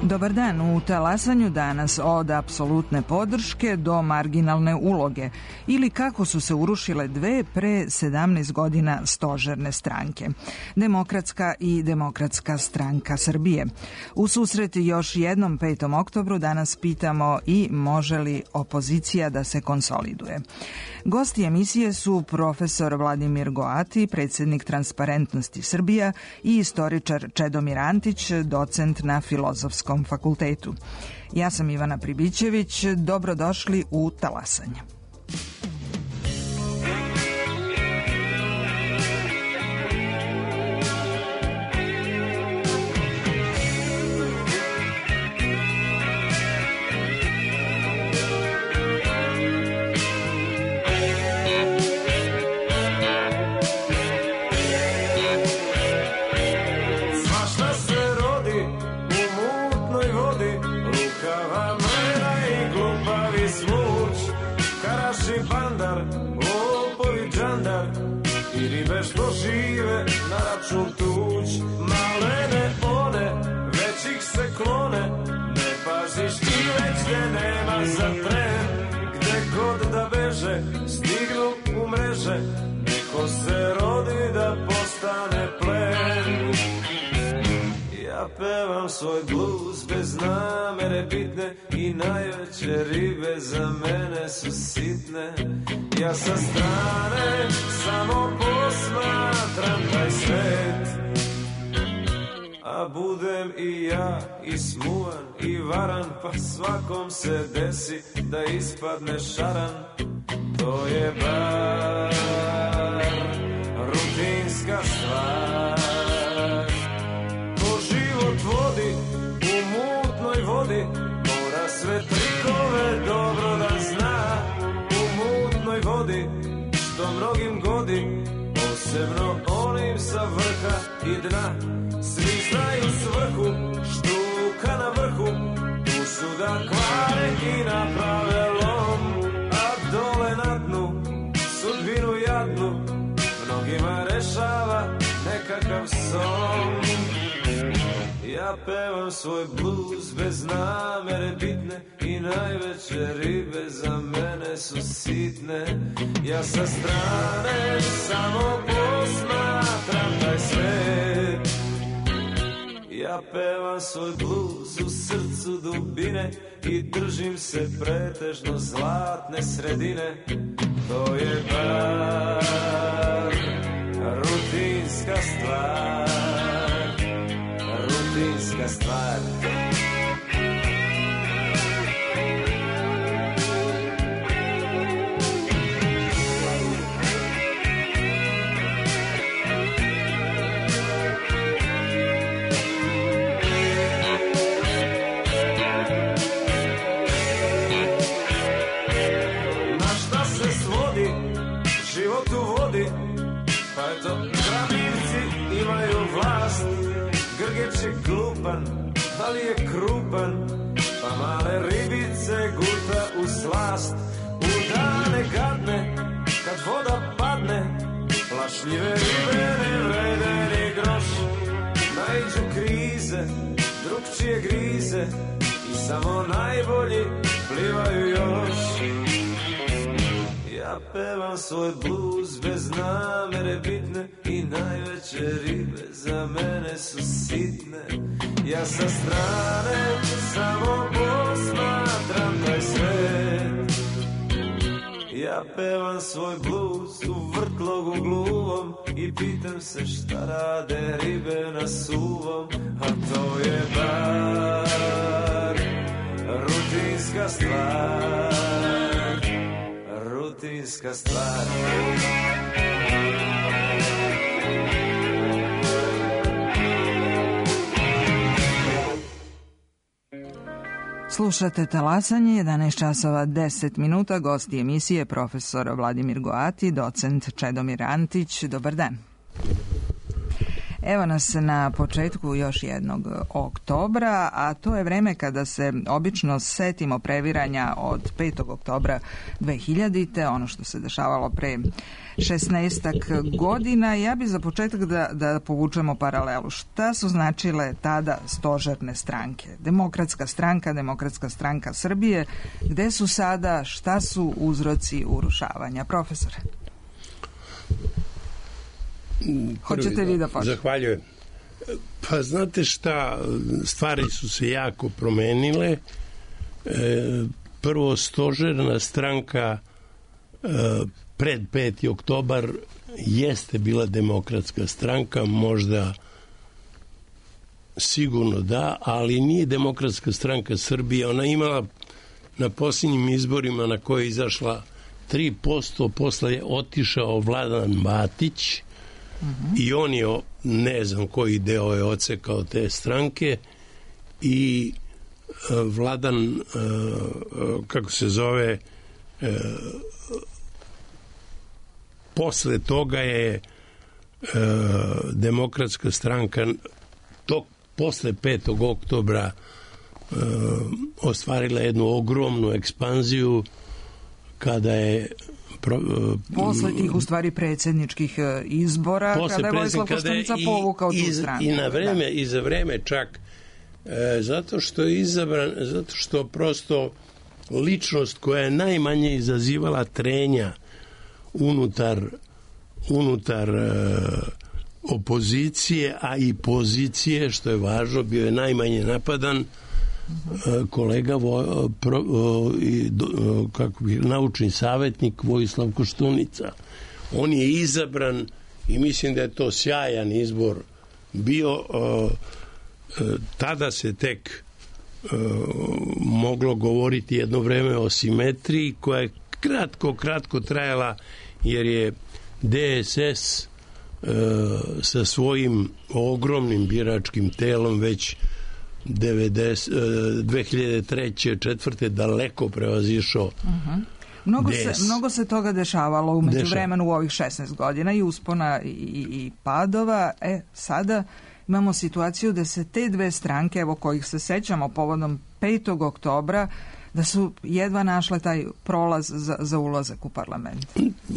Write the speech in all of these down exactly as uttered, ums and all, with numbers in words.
Dobar dan, u talasanju danas od apsolutne podrške do marginalne uloge ili kako su se urušile dve pre sedamnaest godina stožerne stranke. Demokratska i Demokratska stranka Srbije. U susret još jednom petom oktobru danas pitamo i može li opozicija da se konsoliduje. Gosti emisije su profesor Vladimir Goati, predsjednik Transparentnosti Srbija i istoričar Čedomir Antić, docent na Filozofskom fakultetu. Ja sam Ivana Pribićević, dobrodošli u Talasanje. Što žive na račun tuđ, malene one, već ih se klone, ne paziš i već te nema za tren, gde god da beže, stignu u mreže, neko se rodi da postane plen. Ja pevam svoj bluz bez namere bitne i najveće ribe za mene su sitne. Ja sa strane samo posmatram taj svet, a budem i ja i smuvan i varan, pa svakom se desi da ispadne šaran. To je bar rutinska stvar. Ko život vodi u mutnoj vodi, mora sve trikove dobro da zna. Vodi, što mnogim godi, posebno onim sa vrha i dna. Svi znaju svrhu, štuka na vrhu, tu su da kvare i naprave lom. A dole na dnu, sudbinu jadnu, mnogima rešava nekakav son. Ja pevam svoj bluz bez namere bitne i najveće ribe za mene su sitne. Ja sa strane samo posmatram taj svet. Ja pevam svoj bluz u srcu dubine i držim se pretežno zlatne sredine. To je bar rutinska stvar. Rutinska stvar. Na šta se svodi život u vodi, pa eto krabivci imaju vlast. Grgeč je glupan, ali je krupan, pa male ribice guta u slast. U dane gadne, kad voda padne, plašljive ribe ne vrede ni groš. Naiđu krize, drugčije grize i samo najbolji plivaju još. Ja pevam svoj bluz bez namere bitne i najveće ribe za mene su sitne. Ja sa strane samo posmatram taj svet. Ja pevam svoj bluz u vrtlogu gluvom i pitam se šta rade ribe na suvom. A to je bar rutinska stvar. Rutinska stvar. Slušate Talasanje, jedanaest časova deset minuta, gosti emisije profesor Vladimir Goati, docent Čedomir Antić. Dobar dan. Evo nas na početku još jednog oktobra, a to je vreme kada se obično setimo previranja od petog oktobra dve hiljadite, ono što se dešavalo pre šesnaestak godina. Ja bi za početak da, da povučemo paralelu. Šta su značile tada stožerne stranke? Demokratska stranka, Demokratska stranka Srbije. Gde su sada? Šta su uzroci urušavanja? Profesore. Hoćete vi da počnete? Zahvaljujem. Pa znate šta, stvari su se jako promenile. Prvo, stožerna stranka pred peti oktobar jeste bila Demokratska stranka, možda sigurno da, ali nije Demokratska stranka Srbije. Ona imala na posljednjim izborima na koje je izašla tri posto, posle je otišao Vladan Matić, uh-huh. i on je, ne znam koji deo je odsekao te stranke, i Vladan, kako se zove, posle toga je Demokratska stranka to, posle petog oktobra ostvarila jednu ogromnu ekspanziju kada je Pro, posle tih u stvari predsjedničkih izbora, kada je Vojislav Koštunica povukao tu stranu. I na vreme, i za vreme čak, e, zato što je izabran, zato što prosto ličnost koja je najmanje izazivala trenja unutar, unutar e, opozicije, a i pozicije, što je važno, bio je najmanje napadan, kolega vo, pro, kako bi, naučni savjetnik Vojislav Koštunica. On je izabran i mislim da je to sjajan izbor bio. Tada se tek moglo govoriti jedno vreme o simetriji koja je kratko, kratko trajala, jer je D S S sa svojim ogromnim biračkim telom već devedeset, dve hiljade treće četvrte daleko prevazišao. Uh-huh. Mnogo, se, mnogo se toga dešavalo u međuvremenu u ovih šesnaest godina i uspona i, i, i padova. E, sada imamo situaciju da se te dve stranke, evo kojih se sećamo povodom petog oktobra, da su jedva našle taj prolaz za, za ulazak u parlament.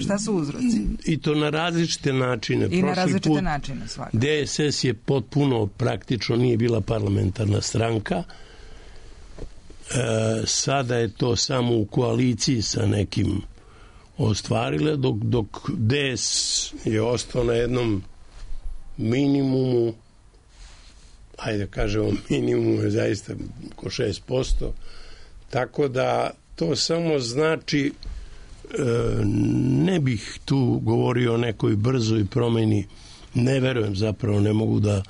Šta su uzroci? I to na različite načine. I Prošli na različite put načine svakako. D S S je potpuno, praktično nije bila parlamentarna stranka. E, sada je to samo u koaliciji sa nekim ostvarile, dok, dok D S je ostao na jednom minimumu, ajde kažemo minimum je zaista oko šest posto. Tako da to samo znači, ne bih tu govorio o nekoj brzoj promeni, ne verujem, zapravo ne mogu da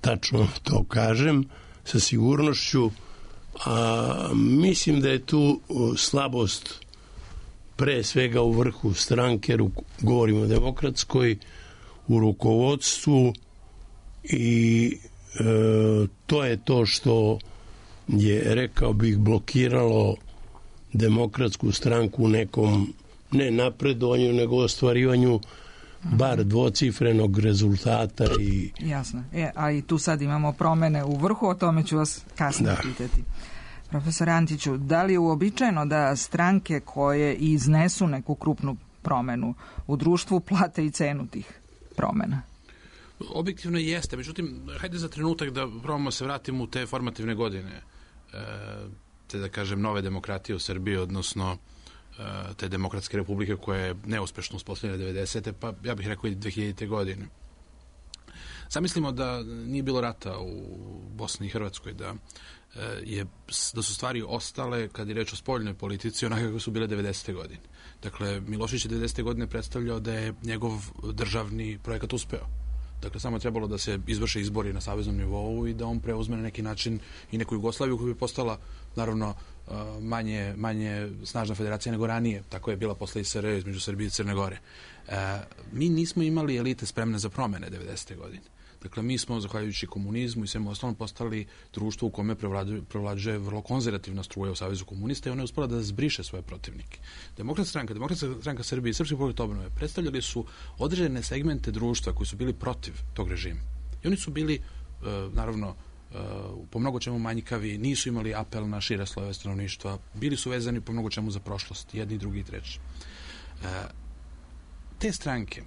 tačno to kažem sa sigurnošću, a mislim da je tu slabost pre svega u vrhu stranke, govorimo o Demokratskoj, u rukovodstvu, i e, to je to što je, rekao bih, blokiralo Demokratsku stranku u nekom, ne napredovanju, nego ostvarivanju bar dvocifrenog rezultata. I... Jasno. E, a i tu sad imamo promene u vrhu, o tome ću vas kasnije da. pitati. Profesor Antiću, da li je uobičajeno da stranke koje iznesu neku krupnu promenu u društvu plate i cenu tih promena? Objektivno jeste, međutim, hajde za trenutak da probamo se vratimo u te formativne godine, e, te da kažem nove demokratije u Srbiji, odnosno e, te demokratske republike koje je neuspešno uspostavljena devedesete, pa ja bih rekao i dve hiljadite godine. Zamislimo da nije bilo rata u Bosni i Hrvatskoj, da, e, je, da su stvari ostale, kad je reč o spoljnoj politici, onako kako su bile devedesete godine. Dakle, Milošević je devedesete godine predstavljao da je njegov državni projekat uspeo. Dakle, samo je trebalo da se izvrše izbori na saveznom nivou i da on preuzme na neki način i neku Jugoslaviju koja bi postala, naravno, manje, manje snažna federacija nego ranije. Tako je bila posle S R E između Srbije i Crne Gore. E, mi nismo imali elite spremne za promene devedesete godine. Dakle, mi smo, zahvaljujući komunizmu i svemu ostalom, postali društvo u kome prevlađuje vrlo konzervativna struja u Savezu komunista i ona je uspela da zbriše svoje protivnike. Demokratska stranka, Demokratska stranka Srbije i Srpski pokret obnove predstavljali su određene segmente društva koji su bili protiv tog režima. I oni su bili, naravno, po mnogo čemu manjkavi, nisu imali apel na šire slojeve stanovništva, bili su vezani po mnogo čemu za prošlost, jedni, drugi i treći. Te stranke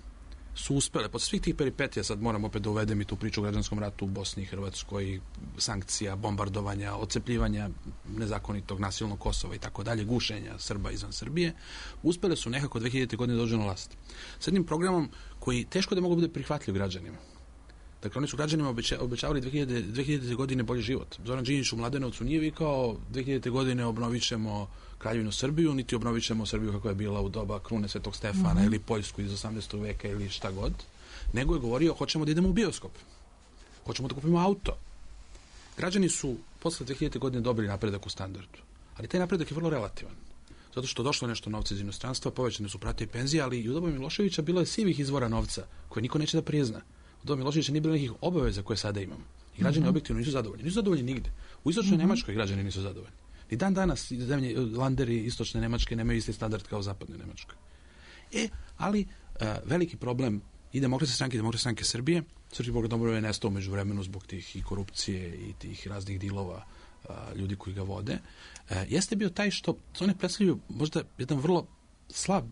su uspele, posle svih tih peripetija, sad moram opet da uvedem i tu priču o građanskom ratu u Bosni i Hrvatskoj, sankcija, bombardovanja, odcepljivanja nezakonitog nasilnog Kosova i tako dalje, gušenja Srba izvan Srbije, uspele su nekako dve hiljadite godine dođu na vlast. S jednim programom koji teško da mogu biti prihvatljiv građanima. Dakle, oni su građanima obeća, obećavali dve hiljadite godine bolji život. Zoran Đinđić u Mladenovcu nije vikao dve hiljadite godine obnovit ćemo Kraljevinu Srbiju, niti obnovit ćemo Srbiju kako je bila u doba krune Svetog Stefana mm-hmm. ili Poljsku iz osamnaestog veka ili šta god, nego je govorio hoćemo da idemo u bioskop, hoćemo da kupimo auto. Građani su posle dve hiljadite godine dobili napredak u standardu, ali taj napredak je vrlo relativan. Zato što došlo nešto novca iz inostranstva, povećane su plate i penzije, ali i u doba Miloševića bilo je sivih izvora novca koje niko neće da prizna. U doba Miloševića nije bilo nekih obaveza koje sada imamo. I građani mm-hmm. objektivno nisu zadovoljni. Nisu zadovoljni nigde. U istočnoj mm-hmm. Nemačkoj građani nisu zadovoljni. I dan danas zemlje, landeri istočne Nemačke nemaju isti standard kao zapadne Nemačke. E, ali uh, veliki problem i Demokratske stranke i Demokratske stranke Srbije, Srpski pokret obnove je nestao među vremenu zbog tih i korupcije i tih raznih dilova uh, ljudi koji ga vode, uh, jeste bio taj što one predstavljaju možda jedan vrlo slab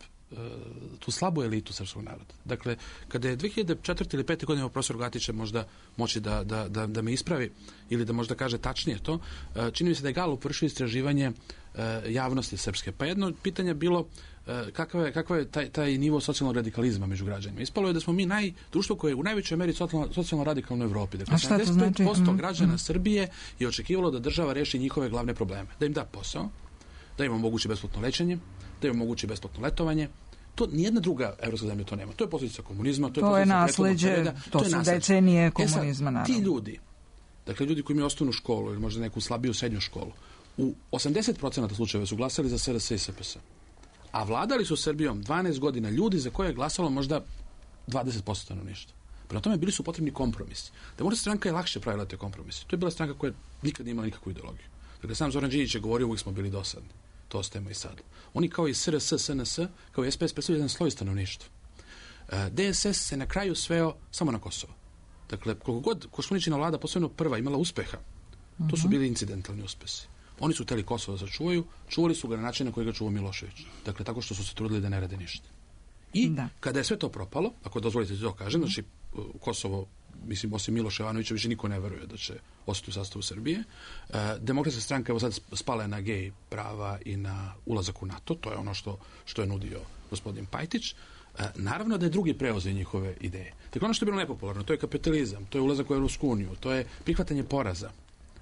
tu slabu elitu srpskog naroda. Dakle, kada je dve hiljade četvrte ili pete godine profesor Gatić možda moći da, da, da, da me ispravi ili da možda kaže tačnije to, čini mi se da je Galup vršio istraživanje javnosti srpske. Pa jedno pitanje je bilo kakav je, kakav je taj, taj nivo socijalnog radikalizma među građanima. Ispalo je da smo mi naj, društvo koje je u najvećoj meri socijalno, socijalno radikalno u Evropi. Dakle, sedamdeset pet posto znači? građana mm. Srbije je očekivalo da država reši njihove glavne probleme. Da im da posao, da im omogući besplatno lečenje, da im omogući besplatno letovanje. To nijedna druga evropska zemlja to nema. To je posljedica komunizma, to je, to je nasleđe, to, to su nasleđe. decenije komunizma, e sad, naravno. Ti ljudi, dakle ljudi koji imaju osnovnu školu ili možda neku slabiju srednju školu, u osamdeset posto slučajeva su glasali za S R S i S P S. A vladali su Srbijom dvanaest godina ljudi za koje je glasalo možda dvadeset posto stanovništva. Prema tome bili su potrebni kompromisi. Demokratska stranka je lakše pravila te kompromise. To je bila stranka koja nikad nije imala nikakvu ideologiju. Dakle, sam Zoran Đinđić je govorio, uvijek smo bili dosadni. To ostajemo i sad. Oni kao i S R S, S N S, kao i S P S predstavljaju jedan sloj stanovništva. D S S se na kraju sveo samo na Kosovo. Dakle, koliko god Koštuničina vlada, posebno prva, imala uspeha, uh-huh. to su bili incidentalni uspesi. Oni su hteli Kosovo da sačuvaju, čuvali su ga na način na koji ga čuvao Milošević. Dakle, tako što su se trudili da ne rade ništa. I da. Kada je sve to propalo, ako dozvolite da to kažem, znači Kosovo, mislim, osim Miloša Jovanovića, više niko ne veruje da će ostati u sastavu Srbije. E, Demokratska stranka evo sad spala je na gej prava i na ulazak u NATO, to je ono što, što je nudio gospodin Pajtić. E, naravno da je drugi preuzeo njihove ideje. Dakle, ono što je bilo nepopularno, to je kapitalizam, to je ulazak u Evropsku uniju, to je prihvatanje poraza.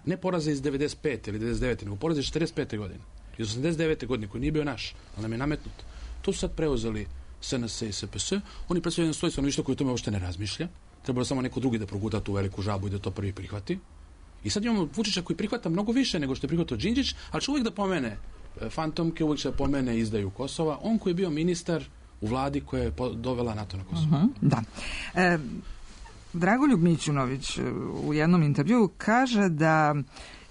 Ne poraza iz devedeset pete ili devedeset devete nego poraza iz četrdeset pete godine. Iz osamdeset devete godine, koji nije bio naš, ali nam je nametnut. To su sad preuzeli S N S i S P S. Oni predstavljaju jedan sloj stanovništva koji o tome uopšte ne razmišlja. Trebalo samo neko drugi da proguta tu veliku žabu i da to prvi prihvati. I sad imamo Vučića koji prihvata mnogo više nego što je prihvatao Đinđić, ali će uvijek da pomene fantomke, uvijek će da pomene izdaju Kosova. On koji je bio ministar u vladi koja je dovela NATO na Kosovo. Uh-huh, da. E, Dragoljub Mićunović u jednom intervjuu kaže da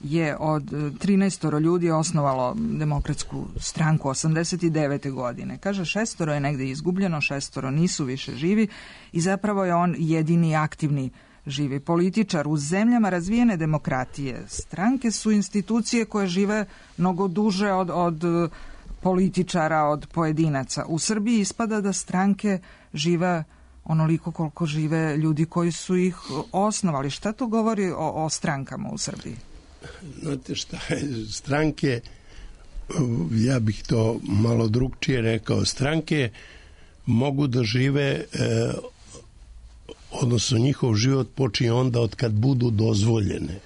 je od trinaestoro ljudi osnovalo Demokratsku stranku osamdeset devete godine. Kaže, šestoro je negde izgubljeno, šestoro nisu više živi i zapravo je on jedini aktivni živi političar. U zemljama razvijene demokratije stranke su institucije koje žive mnogo duže od, od političara, od pojedinaca. U Srbiji ispada da stranke žive onoliko koliko žive ljudi koji su ih osnovali. Šta to govori o, o strankama u Srbiji? Znate šta je, stranke, ja bih to malo drugčije rekao, stranke mogu da žive, e, odnosno njihov život počinje onda od kad budu dozvoljene.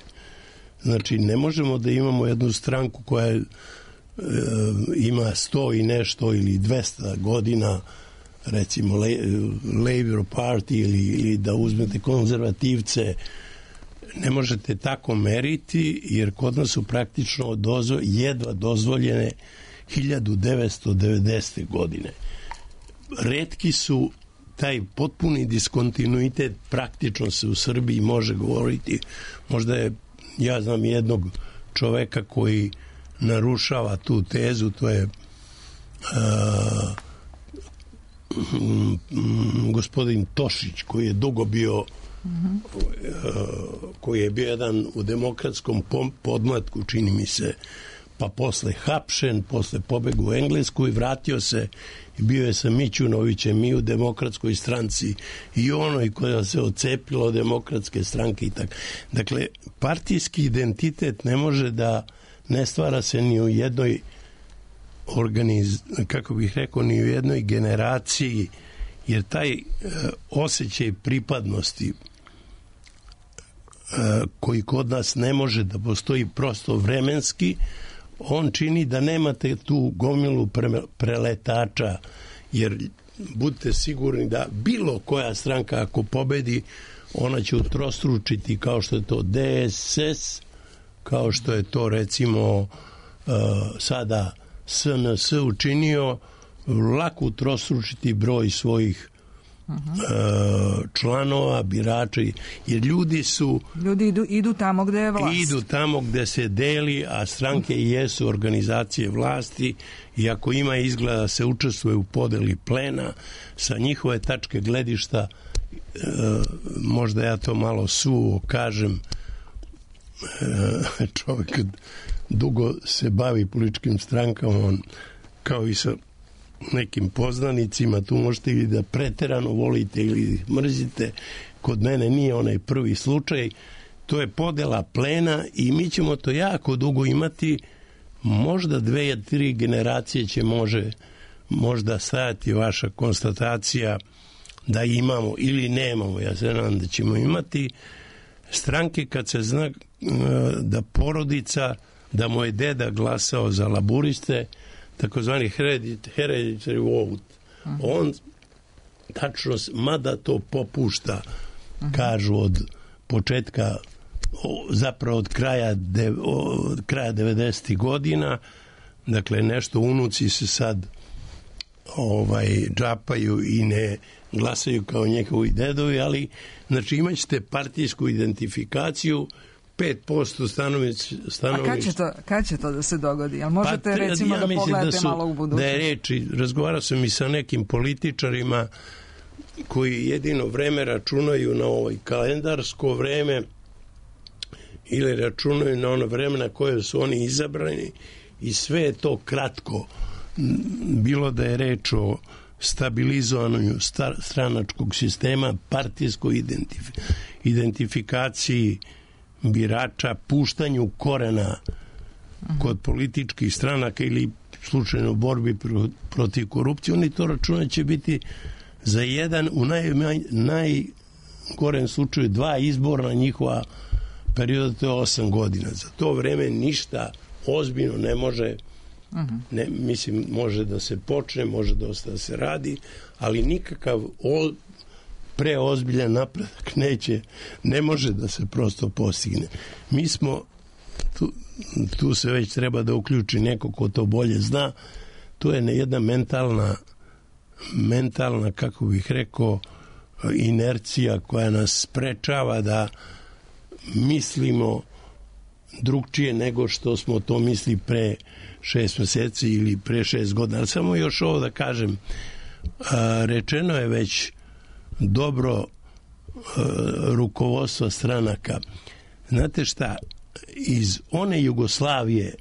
Znači, ne možemo da imamo jednu stranku koja e, ima sto i nešto ili dvesta godina, recimo Labour Party ili, ili da uzmete konzervativce. Ne možete tako meriti, jer kod nas su praktično dozvo, jedva dozvoljene hiljadu devetsto devedesete godine. Retki su taj potpuni diskontinuitet praktično se u Srbiji može govoriti. Možda je, ja znam jednog čoveka koji narušava tu tezu, to je uh, gospodin Tošić, koji je dugo bio mm-hmm. uh, koji je bio jedan u demokratskom podmlatku, čini mi se, pa posle hapšen, posle pobegu u Englesku i vratio se i bio je sa Mićunovićem i u demokratskoj stranci i onoj koja se ocepila od demokratske stranke i tako. Dakle, partijski identitet ne može da ne stvara se ni u jednoj organiz, kako bih rekao, ni u jednoj generaciji, jer taj e, osjećaj pripadnosti e, koji kod nas ne može da postoji prosto vremenski, on čini da nemate tu gomilu pre, preletača, jer budite sigurni da bilo koja stranka ako pobedi, ona će utrostručiti, kao što je to D S S, kao što je to recimo uh, sada S N S učinio, lako utrostručiti broj svojih uh-huh. uh, članova, birača, jer ljudi su... Ljudi idu, idu tamo gde je vlast. Idu tamo gde se deli, a stranke i jesu organizacije vlasti i ako ima izgleda da se učestvuje u podeli plena, sa njihove tačke gledišta, uh, možda ja to malo suvo kažem, uh, čovjek dugo se bavi političkim strankama, on kao i sa nekim poznanicima, tu možete ili da preterano volite ili mrzite, kod mene nije onaj prvi slučaj, to je podela plena i mi ćemo to jako dugo imati, možda dve, tri generacije će može, možda stajati vaša konstatacija da imamo ili nemamo, ja se nadam da ćemo imati stranke kad se zna da porodica, da moj deda glasao za laburiste, takozvani hereditary vote. Uh-huh. On tačno, mada to popušta, uh-huh. kažu od početka, zapravo od kraja, de, od kraja devedesetih godina, dakle nešto unuci se sad ovaj, džapaju i ne glasaju kao njegovi dedovi, ali znači imat ćete partijsku identifikaciju, pet posto stanović, stanović. A kad će, to, kad će to da se dogodi? Jel možete pa, recimo ja da pogledate da su, malo u budućnost? Da je reči, razgovarao sam i sa nekim političarima koji jedino vreme računaju na ovaj kalendarsko vreme ili računaju na ono vreme na koje su oni izabrani i sve je to kratko. Bilo da je reč o stabilizovanju stranačkog sistema, partijskoj identif identifikaciji birača, puštanju korena kod političkih stranaka ili slučajno borbi protiv korupcije, oni to računa će biti za jedan, u naj, najgorem slučaju dva izborna njihova perioda, to je osam godina. Za to vreme ništa ozbiljno ne može, ne, mislim, može da se počne, može dosta da se radi, ali nikakav o, preozbiljan napredak neće, ne može da se prosto postigne. Mi smo, tu, tu se već treba da uključi neko ko to bolje zna, to je jedna mentalna mentalna, kako bih rekao, inercija koja nas sprečava da mislimo drugčije nego što smo to misli pre šest meseci ili pre šest godina. Ali samo još ovo da kažem, rečeno je već dobro rukovodstvo stranaka. Znate šta, iz one Jugoslavije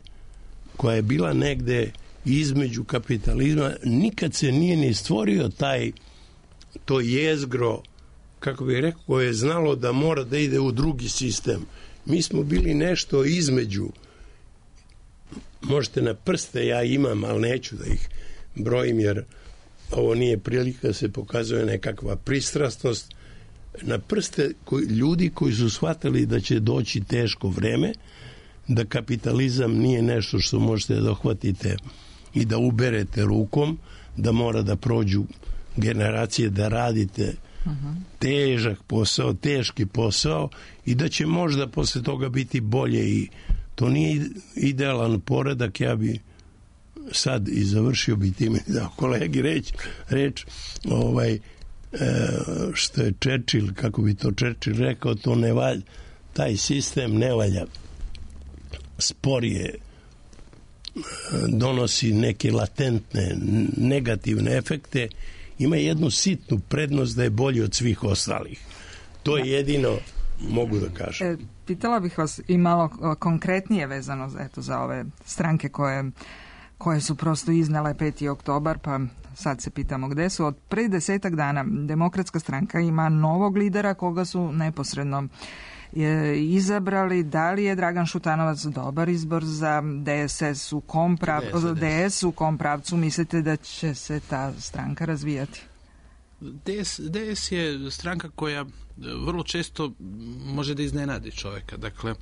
koja je bila negde između kapitalizma, nikad se nije ni stvorio taj to jezgro, kako bih rekao, koje je znalo da mora da ide u drugi sistem. Mi smo bili nešto između. Možete na prste, ja imam, ali neću da ih brojim, jer ovo nije prilika da se pokazuje nekakva pristrasnost. Na prste koji, ljudi koji su shvatili da će doći teško vreme, da kapitalizam nije nešto što možete da dohvatite i da uberete rukom, da mora da prođu generacije, da radite uh-huh. težak posao, teški posao i da će možda posle toga biti bolje i to nije idealan poredak. Ja bi sad i završio bi time da kolegi reč, reč ovaj, što je Churchill, kako bi to Churchill rekao, to ne valja, taj sistem ne valja, sporije, donosi neke latentne negativne efekte, ima jednu sitnu prednost da je bolji od svih ostalih. To je jedino mogu da kažem. E, pitala bih vas i malo konkretnije vezano eto, za ove stranke koje, koje su prosto iznale peti oktobar, pa sad se pitamo gde su. Od pre desetak dana Demokratska stranka ima novog lidera koga su neposredno je izabrali. Da li je Dragan Šutanovac dobar izbor za D S S, u kom pravcu, D S, u kom pravcu mislite da će se ta stranka razvijati? D S, D S je stranka koja vrlo često može da iznenadi čoveka. Dakle,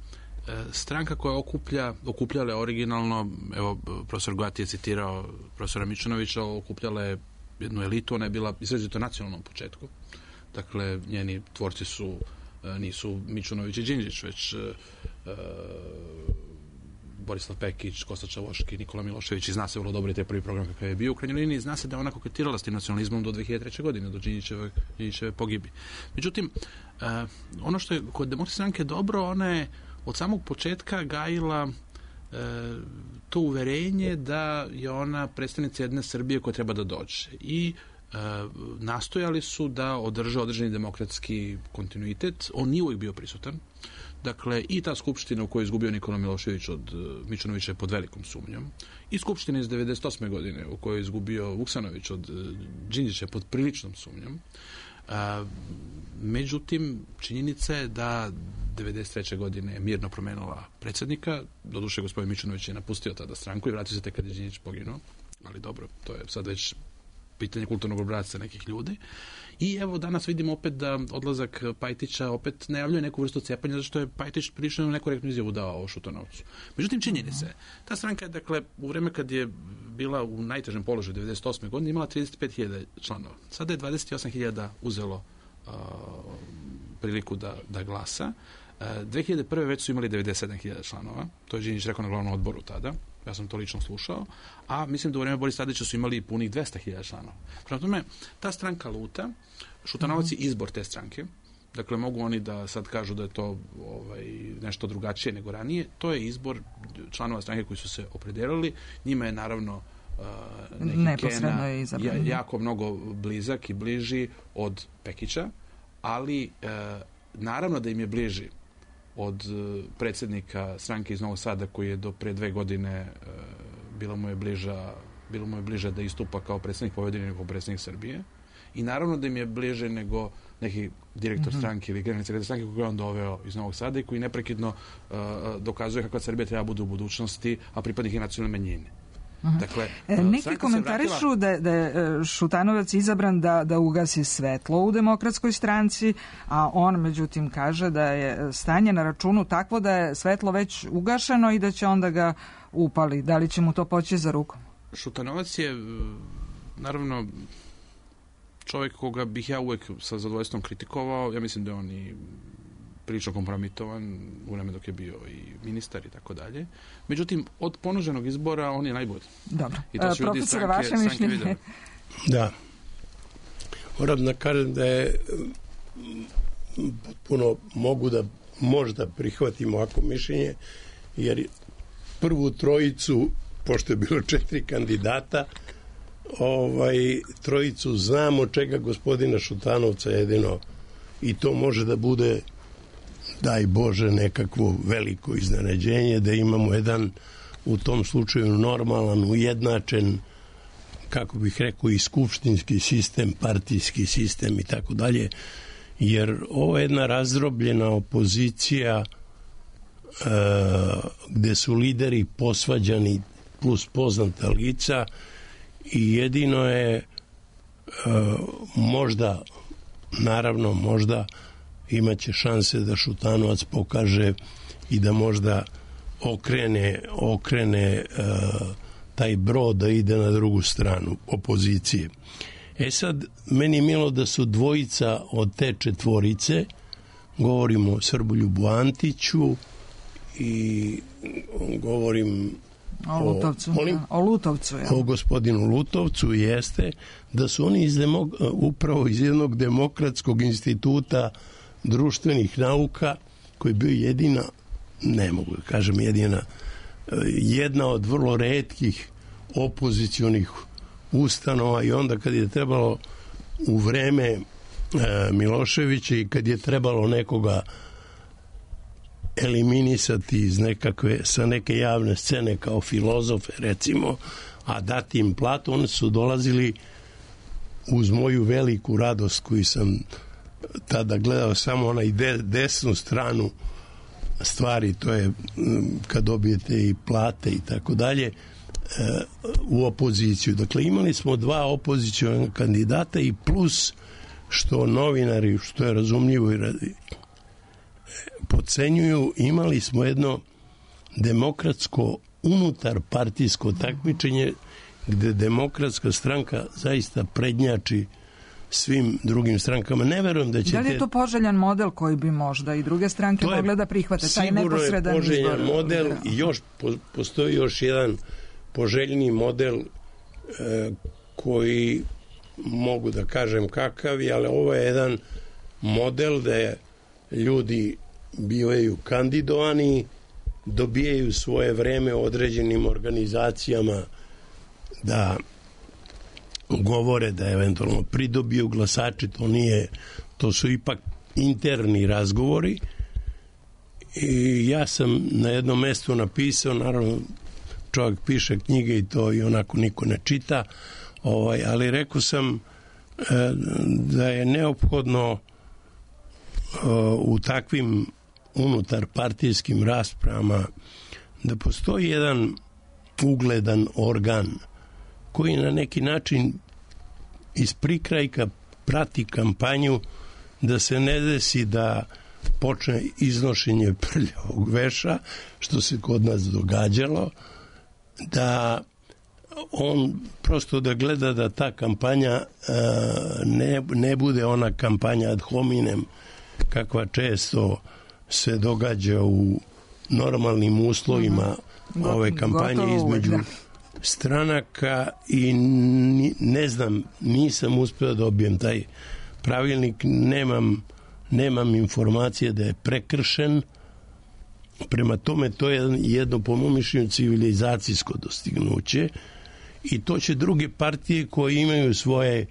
stranka koja okuplja, okupljala je originalno, evo, profesor Goati je citirao profesora Mičunovića, okupljala je jednu elitu, ona je bila izrazito nacionalnom početku. Dakle, njeni tvorci su nisu Mičunović i Đinđić, već uh, Borislav Pekić, Kosta Čavoški, Nikola Milošević, i zna se vrlo dobro i te prvi program kakav je bio. U krajnjoj liniji zna se da je ona koketirala s tim nacionalizmom do dve hiljade treće. godine, do Đinđićeve, Đinđićeve pogibi. Međutim, uh, ono što je kod Demokratske stranke dobro, ona je od samog početka gajila uh, to uverenje da je ona predstavnica jedne Srbije koja treba da dođe. I nastojali su da održe određeni demokratski kontinuitet. On nije uvijek bio prisutan. Dakle, i ta skupština u kojoj je izgubio Nikola Milošević od Mičunovića je pod velikom sumnjom. I skupština iz devedeset osme. godine u kojoj je izgubio Vuksanović od Đinđića pod priličnom sumnjom. A, međutim, činjenica je da devedeset treće. godine je mirno promenila predsjednika. Doduše, gospodin Mičunović je napustio tada stranku i vratio se tek kad je Đinđić poginuo. Ali dobro, to je sad već pitanje kulturnog obrasca nekih ljudi. I evo danas vidimo opet da odlazak Pajtića opet najavljuje neku vrstu cepanja, zato što je Pajtić prilično nekorektnu izjavu dao o Šutanovcu. Međutim, činjeni se, ta stranka je, dakle, u vreme kad je bila u najtežem položaju devedeset osme. godine imala trideset pet hiljada članova. Sada je dvadeset osam hiljada uzelo uh, priliku da, da glasa. Uh, dve hiljade prve. već su imali devedeset sedam hiljada članova. To je Đinđić rekao na glavnom odboru tada. Ja sam to lično slušao, a mislim da u vreme Borisa Tadića su imali punih dvesta hiljada članova. Prema tome, ta stranka luta, Šutanovac je izbor te stranke, dakle mogu oni da sad kažu da je to ovaj, nešto drugačije nego ranije, to je izbor članova stranke koji su se opredelili, njima je naravno uh, neki Kena ja, jako mnogo blizak i bliži od Pekića, ali uh, naravno da im je bliži od predsjednika stranke iz Novog Sada koji je do pre dve godine e, bilo mu je bliža bilo mu je bliže da istupa kao predsjednik Vojvodine nego predsjednik Srbije, i naravno da im je bliže nego neki direktor mm-hmm. stranke ili generalni sekretar stranke koji je on doveo iz Novog Sada i koji neprekidno uh, dokazuje kakva Srbija treba bude u budućnosti, a pripadnik je nacionalne manjine. Dakle, neki komentarišu vratila... da, da je Šutanovac izabran da, da ugasi svetlo u Demokratskoj stranci, a on međutim kaže da je stanje na računu takvo da je svetlo već ugašeno i da će onda ga upali. Da li će mu to poći za rukom? Šutanovac je naravno čovjek koga bih ja uvijek sa zadovoljstvom kritikovao. Ja mislim da je on i prilično kompromitovan u vreme dok je bio i ministar i tako dalje. Međutim, od ponuđenog izbora on je najbolji. Dobro. I to su ljudi Profesore, vaše mišljenje? Da. Moram da kažem da je potpuno mogu da možda prihvatimo ovako mišljenje, jer prvu trojicu, pošto je bilo četiri kandidata, ovaj, trojicu znamo, čega gospodina Šutanovca jedino, i to može da bude, daj Bože, nekakvo veliko iznenađenje, da imamo jedan u tom slučaju normalan, ujednačen, kako bih rekao, i skupštinski sistem, partijski sistem i tako dalje, jer ovo je jedna razdrobljena opozicija e, gde su lideri posvađani plus poznata lica, i jedino je e, možda, naravno možda imaće šanse da Šutanovac pokaže i da možda okrene, okrene uh, taj brod da ide na drugu stranu opozicije. E sad, meni je milo da su dvojica od te četvorice, govorimo o Srboljubu Antiću i govorim O Lutovcu, o, molim, o Lutovcu, ja. O gospodinu Lutovcu jeste da su oni iz demok, upravo iz jednog demokratskog instituta društvenih nauka, koji je bio jedina, ne mogu da kažem jedina, jedna od vrlo retkih opozicionih ustanova, i onda kad je trebalo u vreme e, Miloševića i kad je trebalo nekoga eliminisati iz nekakve, sa neke javne scene kao filozofe recimo, a dati im platu, oni su dolazili uz moju veliku radost koju sam tada gledao samo onaj de, desnu stranu stvari, to je kad dobijete i plate i tako dalje, u opoziciju. Dakle, imali smo dva opozicijona kandidata i plus što novinari, što je razumljivo i radi, podcenjuju, imali smo jedno demokratsko unutar partijsko takmičenje gde demokratska stranka zaista prednjači svim drugim strankama. Ne verujem da će... Da li je to poželjan model koji bi možda i druge stranke mogle da prihvate? Taj neposredan izbor. Sigurno je poželjan model i još, postoji još jedan poželjni model e, koji mogu da kažem kakav je, ali ovo je jedan model da ljudi bivaju kandidovani, dobijaju svoje vreme određenim organizacijama da govore, da eventualno pridobiju glasači, to nije, to su ipak interni razgovori. I ja sam na jednom mestu napisao, naravno čovjek piše knjige i to i onako niko ne čita, ovaj, ali rekao sam e, da je neophodno e, u takvim unutar partijskim raspravama da postoji jedan ugledan organ koji na neki način iz prikrajka prati kampanju, da se ne desi da počne iznošenje prljavog veša, što se kod nas događalo, da on prosto da gleda da ta kampanja ne, ne bude ona kampanja ad hominem kakva često se događa u normalnim uslovima uh-huh. ove kampanje između stranaka i ne znam, nisam uspeo da dobijem taj pravilnik, nemam, nemam informacije da je prekršen. Prema tome to je jedno po mom mišljenju civilizacijsko dostignuće i to će druge partije koje imaju svoje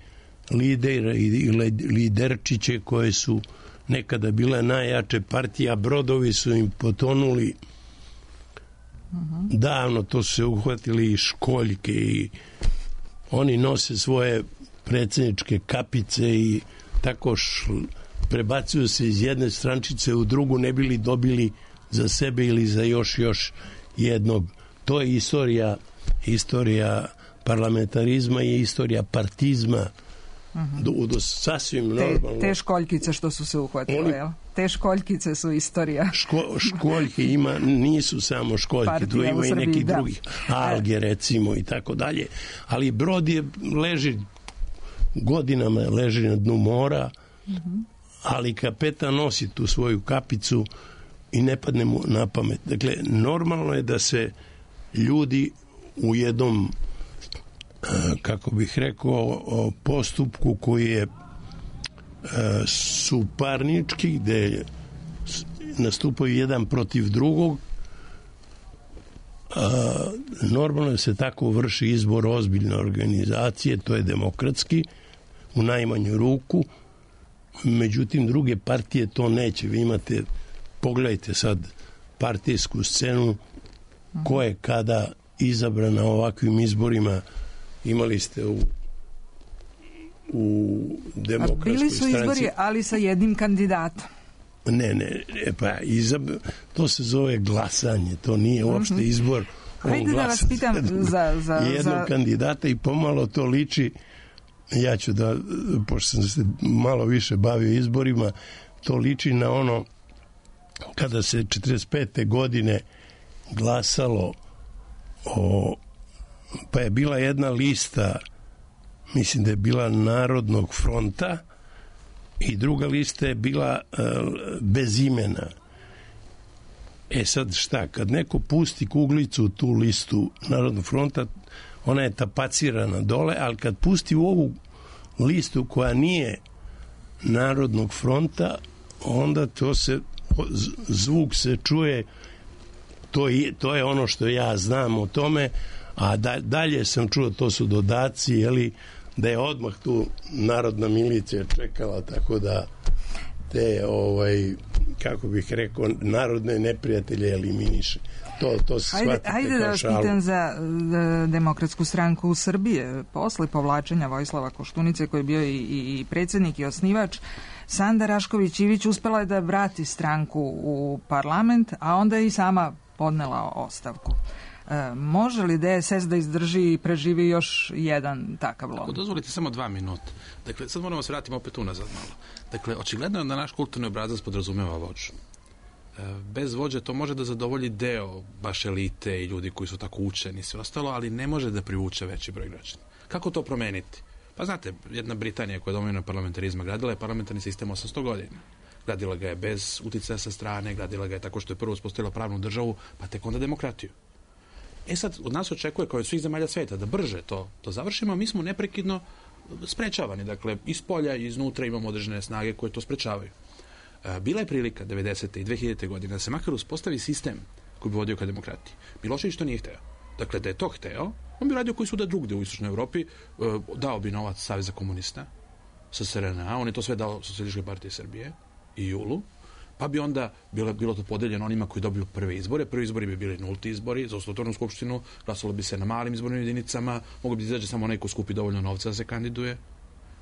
lidere i liderčiće koje su nekada bile najjače partije, a brodovi su im potonuli uh-huh. davno, to su se uhvatili i školjke i oni nose svoje predsjedničke kapice i tako šl, prebacuju se iz jedne strančice u drugu, ne bili dobili za sebe ili za još još jednog. To je istorija istorija parlamentarizma i istorija partizma. Uh-huh. do, do sasvim normalno. Te, te školjkice što su se uhvatile, Oni, jel? Te školjkice su istorija. Ško, školjke ima, nisu samo školjke, tu ima i neki da. drugih alge recimo i tako dalje. Ali brod je leži godinama leži na dnu mora, uh-huh. ali kapetan nosi tu svoju kapicu i ne padne mu na pamet. Dakle, normalno je da se ljudi u jednom kako bih rekao postupku koji je suparnički, gde nastupaju jedan protiv drugog, normalno je se tako vrši izbor ozbiljne organizacije, to je demokratski u najmanju ruku, međutim druge partije to neće. Vi imate, pogledajte sad partijsku scenu, ko je kada izabran na ovakvim izborima. Imali ste u u demokratskoj bili su stranci. Izbori, ali sa jednim kandidatom. Ne, ne, pa izab... to se zove glasanje, to nije uopšte mm-hmm. izbor. Hajde da vas pitam za, za, jednog za... kandidata i pomalo to liči, ja ću da, pošto sam se malo više bavio izborima, to liči na ono kada se četrdeset pete godine glasalo o, pa je bila jedna lista, mislim da je bila Narodnog fronta i druga lista je bila uh, bez imena. E sad šta, kad neko pusti kuglicu u tu listu Narodnog fronta, ona je tapacirana dole, ali kad pusti u ovu listu koja nije Narodnog fronta, onda to se, zvuk se čuje, to je, to je ono što ja znam o tome, a da, dalje sam čuo, to su dodaci, jeli, da je odmah tu narodna milicija čekala, tako da te, ovaj, kako bih rekao, narodne neprijatelje eliminiše. To, to se Ajde, shvatite ajde da kao vas šalu. pitam za uh, Demokratsku stranku u Srbije. Posle povlačenja Vojislava Koštunice, koji je bio i, i, i predsjednik i osnivač, Sanda Rašković Ivić uspela je da vrati stranku u parlament, a onda je i sama podnela ostavku. E, može li D S S da izdrži i preživi još jedan takav lom? Ako dozvolite samo dva minuta. Dakle, sad moramo se vratiti opet unazad malo. Dakle, očigledno je da naš kulturni obrazac podrazumeva vođu. E, bez vođe to može da zadovolji deo baš elite i ljudi koji su tako učeni i sve ostalo, ali ne može da privuče veći broj građana. Kako to promeniti? Pa znate, jedna Britanija koja je domovina parlamentarizma gradila je parlamentarni sistem osamsto godina. Gradila ga je bez uticaja sa strane, gradila ga je tako što je prvo uspostavila pravnu državu, pa tek onda demokratiju. E sad, od nas očekuje, kao i od svih zemalja sveta, da brže to, to završimo, a mi smo neprekidno sprečavani. Dakle, iz polja i iznutra imamo određene snage koje to sprečavaju. E, bila je prilika devedesete i dve hiljadite godine da se makar uspostavi sistem koji bi vodio ka demokratiji. Milošević to nije hteo. Dakle, da je to hteo, on bi radio koji su da drugde u Istočnoj Evropi, e, dao bi novac Saveza komunista sa S R N A, on je to sve dao Socijalističkoj partiji Srbije i Julu, pa bi onda bilo, bilo to podeljeno onima koji dobiju prve izbore. Prvi izbori bi bili nulti izbori za Ustatornu skupštinu, glasalo bi se na malim izbornim jedinicama, mogo bi izađe samo onaj ko skupi dovoljno novca da se kandiduje,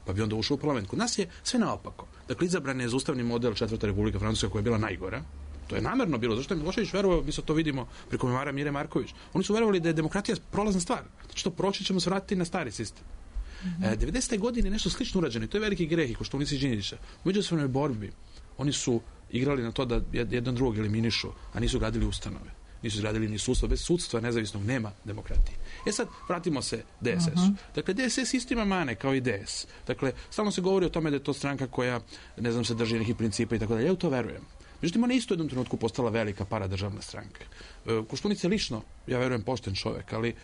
pa bi onda ušao u parlament. Kod nas je sve naopako. Dakle, izabran je za ustavni model Četvrta Republika Francuska koja je bila najgora. To je namerno bilo, zašto je Milošević verovao, mi se to vidimo preko memara Mire Marković. Oni su verovali da je demokratija prolazna stvar. Znači to proći ćemo se vratiti na stari sistem. Mm-hmm. E, devedesete godine nešto slično urađeno i to je veliki greh i Koštunice i Đinđića. U međusobnoj borbi oni su igrali na to da jedan drugog eliminišu, a nisu gradili ustanove. Nisu gradili ni sudstvo. Bez sudstva nezavisnog nema demokratije. E sad, vratimo se D S S-u. Uh-huh. Dakle, D S S isto ima mane kao i D S. Dakle, stalno se govori o tome da je to stranka koja, ne znam, se drži nekih principa i tako dalje. Ja u to verujem. Međutim, ona isto u jednom trenutku postala velika paradržavna stranka. E, Koštunica je lično, ja verujem, pošten čovjek, ali e,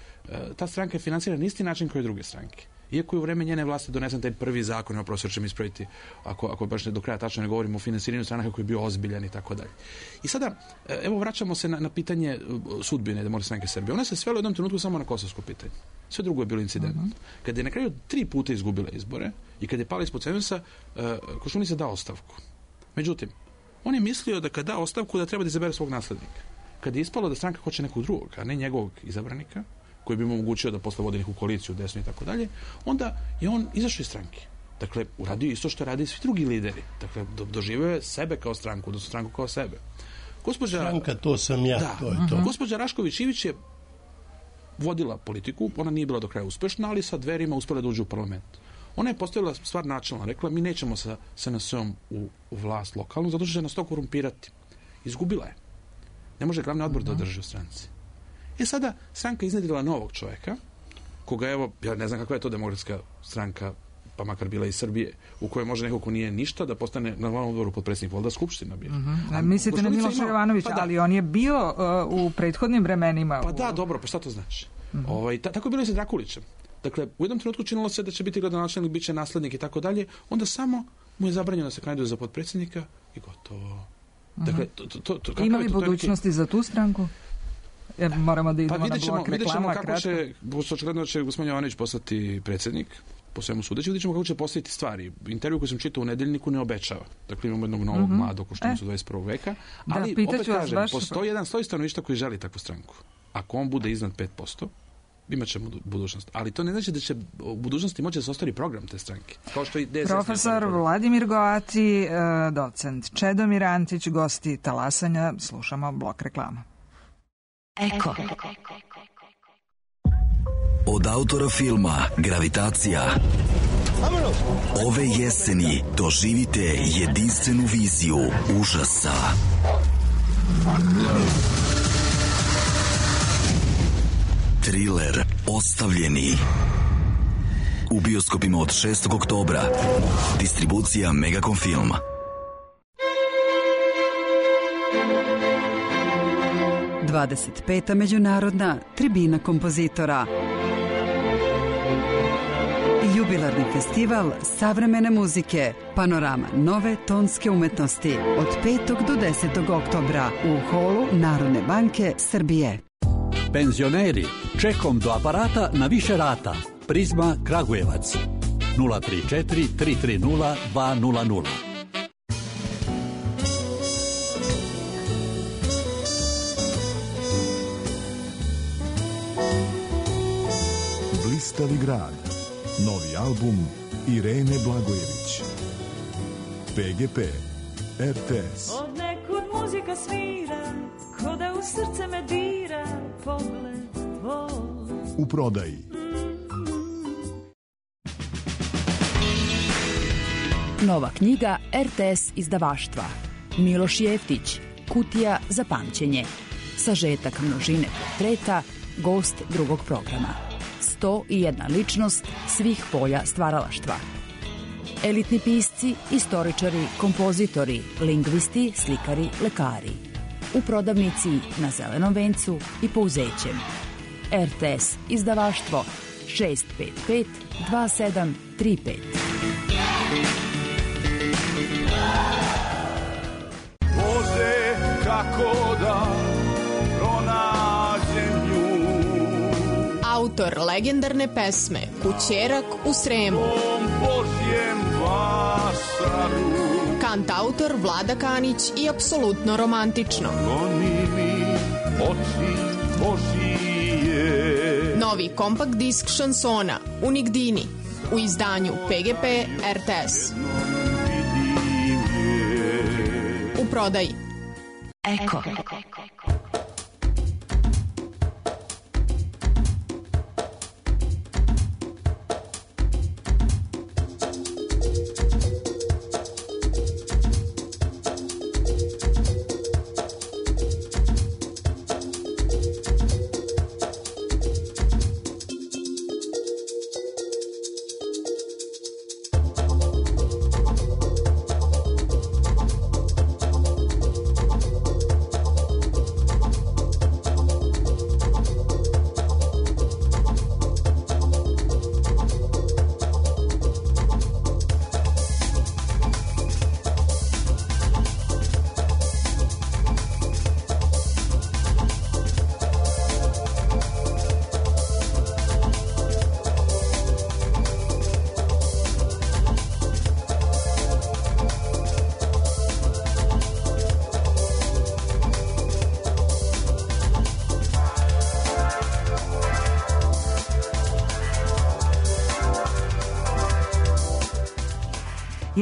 ta stranka je financirana na isti način kao i druge stranke. Iako je u vreme njene vlasti donesen taj prvi zakon, o profesor će mi ispraviti, ako, ako baš ne do kraja tačno ne govorimo o finansiranju stranaka koji je bio ozbiljan i tako dalje. I sada, evo, vraćamo se na, na pitanje sudbine Demokratske stranke Srbije. Ona se svela u jednom trenutku samo na kosovsko pitanje. Sve drugo je bilo incident. Uh-huh. Kada je na kraju tri puta izgubila izbore i kada je pala ispod cenzusa, uh, Koštunica dao ostavku. Međutim, on je mislio da kada da ostavku da treba da izabere svog naslednika. Kada je ispalo da stranka hoće nekog drugog, a ne njegovog izabranika, koji bi mu omogućio da posle vodi neku koaliciju desnu i tako dalje, onda je on izašao iz stranke. Dakle, uradio isto što radi svi drugi lideri. Dakle, do, doživio je sebe kao stranku, odnosno stranku kao sebe. Gospođa, Stranka, to sam ja, da, to je to. uh-huh. Gospođa Rašković Ivić je vodila politiku, ona nije bila do kraja uspešna, ali sa Dverima uspela da uđe u parlament. Ona je postavila stvar načelno, rekla mi nećemo sa S N S-om u, u vlast lokalnu, zato što će nas to korumpirati. Izgubila je. Ne može glavni odbor uh-huh. da održi u stranci. E sada, stranka iznedrila novog čovjeka, koga evo, ja ne znam kakva je to Demokratska stranka, pa makar bila iz Srbije, u kojoj može neko ko nije ništa da postane na glavnom odboru potpredsjednik, valjda skupština bio. Uh-huh. A mislite na Miloša Jovanovića, pa da. Ali on je bio uh, u prethodnim vremenima. Pa u... da, dobro, pa šta to znači? Uh-huh. Ovaj, ta, tako je bilo i sa Drakulićem. Dakle, u jednom trenutku činilo se da će biti gradonačelnik, bit će naslednik i tako dalje, onda samo mu je zabranjeno da se kandiduje za potpredsjednika i gotovo. Dakle, to, to, to, to, ima li budućnosti za tu stranku? Jer moramo da idemo pa na blok reklama. Vidjet ćemo kako će, očigledno će gospodin Jovanović postati predsjednik, po svemu sudeći, vidjet ćemo kako će postaviti stvari. Intervju koji sam čitao u Nedeljniku ne obećava. Dakle, imamo jednog novog uh-huh. mladog Koštunicu e. dvadeset prvog veka. Ali, da, opet kažem, baš... postoji jedan sloj stanovništva koji želi takvu stranku. Ako on bude iznad pet posto, imat ćemo budućnost. Ali to ne znači da će u budućnosti moći da se ostvari program te stranke. Kao što i D S S. Profesor Vladimir Goati, docent Čedomir Antić, gosti Talasanja. Slušamo blok reklama. Eko. Od autora filma Gravitacija ove jeseni doživite jedinstvenu viziju užasa. Triler Ostavljeni u bioskopima od šestog oktobra. Distribucija Megacom Film. dvadeset peta međunarodna tribina kompozitora. Jubilarni festival savremene muzike, panorama nove tonske umetnosti od petog do desetog oktobra u holu Narodne banke Srbije. Penzioneri, čekom do aparata na više rata. Prizma Kragujevac. nula tri četiri tri tri nula dva nula nula. Blistavi grad. Novi album Irene Blagojević. P G P, R T S. Od nekud muzika svira, ko da u srce me dira, pogled tvoj. U prodaji. Nova knjiga R T S izdavaštva. Miloš Jeftić, Kutija za pamćenje. Sažetak množine portreta, gost drugog programa. sto i jedna ličnost svih polja stvaralaštva. Elitni pisci, istoričari, kompozitori, lingvisti, slikari, lekari. U prodavnici na Zelenom vencu i Pouzećem. R T S izdavaštvo šest pet pet dva sedam tri pet. Bože, kako da pronađem nju. Autor legendarne pesme Kućerak u Sremu. Božjem vašaru. Kantautor Vlada Kanić i apsolutno romantično. Goni mi oči Božije. Novi kompakt disk šansona Unigdini u izdanju P G P R T S. U prodaji. Eko.